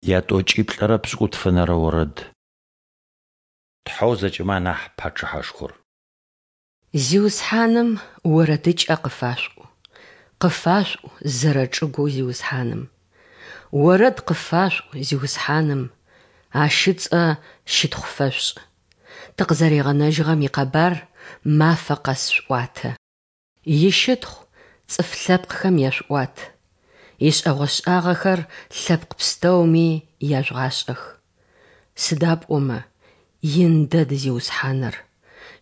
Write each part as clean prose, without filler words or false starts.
Ятӏокӏиплӏырэ пшӏыкӏутфэнэрэ орэд. Тхьэу зэкӏэмэ анахь Пачъыхьэшхор. Зиусхьаным орэдыкӏэ къыфашъуӏу, къыфашъуӏу зэрэчӏыгоу Зиусхьаным. Орэд къыфашъуӏу Зиусхьаным, Ащ ыцӏэ щытхъу фэшъушӏ. Тыкъызэригъэнэжьыгъэм икъэбар мафэ къэс шъуӏуатэ. Ищытхъу цӏыф лъэпкъхэм яшъуӏуат, ишӏэгъошӏагъэхэр лъэпкъ пстэуми яжъугъашӏэх. Сыда пӏомэ ин дэд Зиусхьаныр,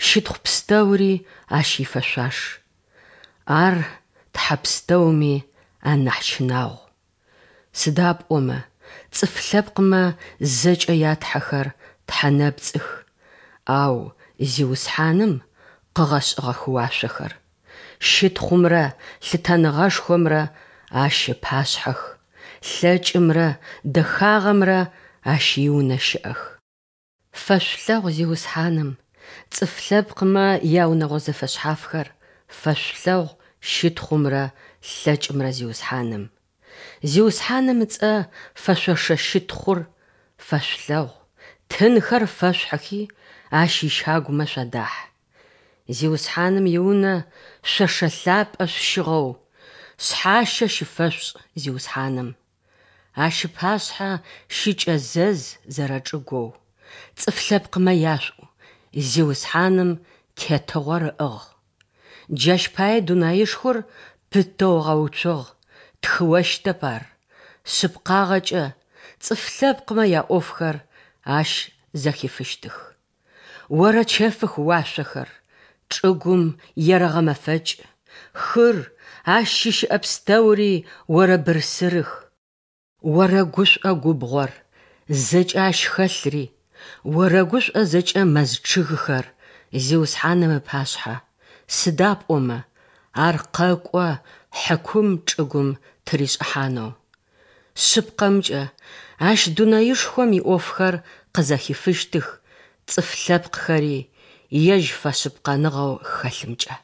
щытхъу пстэури Ащ ифэшъуаш. Ар тхьэ пстэуми анахь щынагъу. Сыда пӏомэ цӏыф лъэпкъмэ зэкӏэ ятхьэхэр тхьэ нэпцӏых, ау Зиусхьаным къыгъэшӏыгъэх уашъохэр. Щытхъумрэ лъытэныгъэшхомрэ Ащ ыпашъхьэх, лъэкӏымрэ дэхагъэмрэ Ащ иунэ щыӏэх. Фэшъулъэгъу Зиусхьаным, цӏыф лъэпкъмэ яунэгъо зэфэшъхьафхэр, фэшъулъэгъу щытхъумрэ лъэкӏымрэ Зиусхьаным. Зиусхьаным ыцӏэ фэшъошэ щытхъур фэшъулъэгъу, тынхэр фэшъухьыхи, Ащ ищагумэ шъуадахь. Зиусхьаным иунэ шъошэ лъапӏэ шъущыгъэу, шъхьащэ щыфэшъушӏ Зиусхьаным. Ащ ыпашъхьэ щыкӏэзэз зэрэчӏыгоу, цӏыф лъэпкъмэ яшъуӏу, Зиусхьаным тетыгъор ыӏыгъ. Джащ пае дунаишхор пытэу ыгъэуцугъ, тхыощтэп ар, шъыпкъагъэкӏэ цӏыф лъэпкъмэ яӏофхэр ащ зэхифыщтых. Орэчэфых уашъохэр, чӏыгум ерэгъэмэфэкӏ, хыр, ащ щыщыӏэ пстэури орэбырсырых. Орэгушӏо губгъор, зэкӏэ ащ хэлъри, орэгушӏо зэкӏэ мэз чъыгхэр Зиусхьаным ыпашъхьэ, сыда пӏомэ Ар къэкӏо хьыкум чӏыгум тыришӏыхьанэу. Шъыпкъэмкӏэ, Ащ дунаишхом иӏофхэр къызэхифыщтых, цӏыф лъэпкъхэри Ежь фэшъыпкъэныгъэу хэлъымкӏэ.